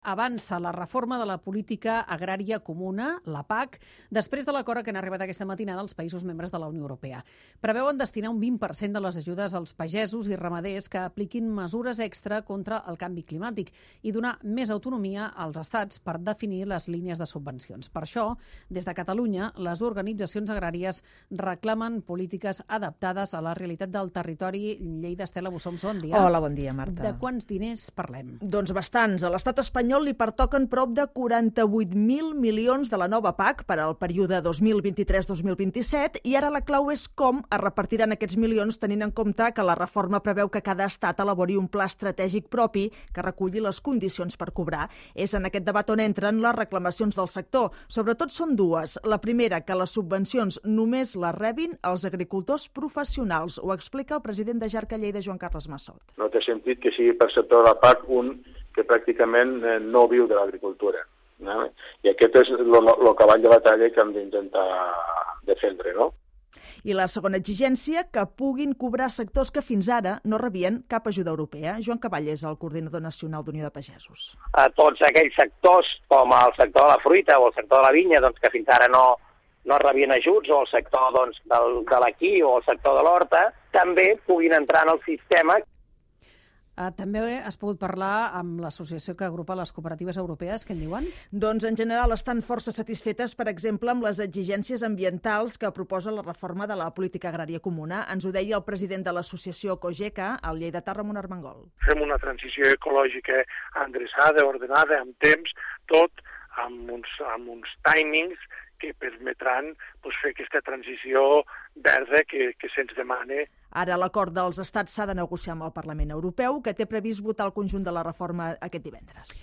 avança la reforma de la política agrària comuna, la PAC, després de l'acord que han arribat aquesta matinada als països membres de la Unió Europea. Preveuen destinar un 20% de les ajudes als pagesos i ramaders que apliquin mesures extra contra el canvi climàtic i donar més autonomia als estats per definir les línies de subvencions. Per això, des de Catalunya, les organitzacions agràries reclamen polítiques adaptades a la realitat del territori. Lleida, Estela Bussoms, bon dia. Hola, bon dia, Marta. De quants diners parlem? Doncs bastants. A l'estat espanyol li pertoquen prop de 48.000 milions de la nova PAC per al període 2023-2027 i ara la clau és com es repartiran aquests milions tenint en compte que la reforma preveu que cada estat elabori un pla estratègic propi que reculli les condicions per cobrar. És en aquest debat on entren les reclamacions del sector. Sobretot són dues. La primera, que les subvencions només les rebin els agricultors professionals. Ho explica el president de Jarca Lleida, Joan Carles Massot. No té sentit que sigui perceptor de la PAC un que pràcticament no viu de l'agricultura. No? I aquest és el cavall de batalla que hem d'intentar defendre, no? I la segona exigència, que puguin cobrar sectors que fins ara no rebien cap ajuda europea. Joan Cavall és el coordinador nacional d'Unió de Pagesos. A tots aquells sectors, com el sector de la fruita o el sector de la vinya, doncs, que fins ara no rebien ajuts, o el sector de l'equí o el sector de l'horta, també puguin entrar en el sistema. També has pogut parlar amb l'associació que agrupa les cooperatives europees. Què en diuen? Doncs en general estan força satisfetes, per exemple, amb les exigències ambientals que proposa la reforma de la política agrària comuna. Ens ho deia el president de l'associació COGECA, el lleidatà Ramon Armengol. Fem una transició ecològica endreçada, ordenada, amb temps, tot amb uns timings que permetran fer aquesta transició verda que se'ns demana. Ara l'acord dels estats s'ha de negociar amb el Parlament Europeu, que té previst votar el conjunt de la reforma aquest divendres.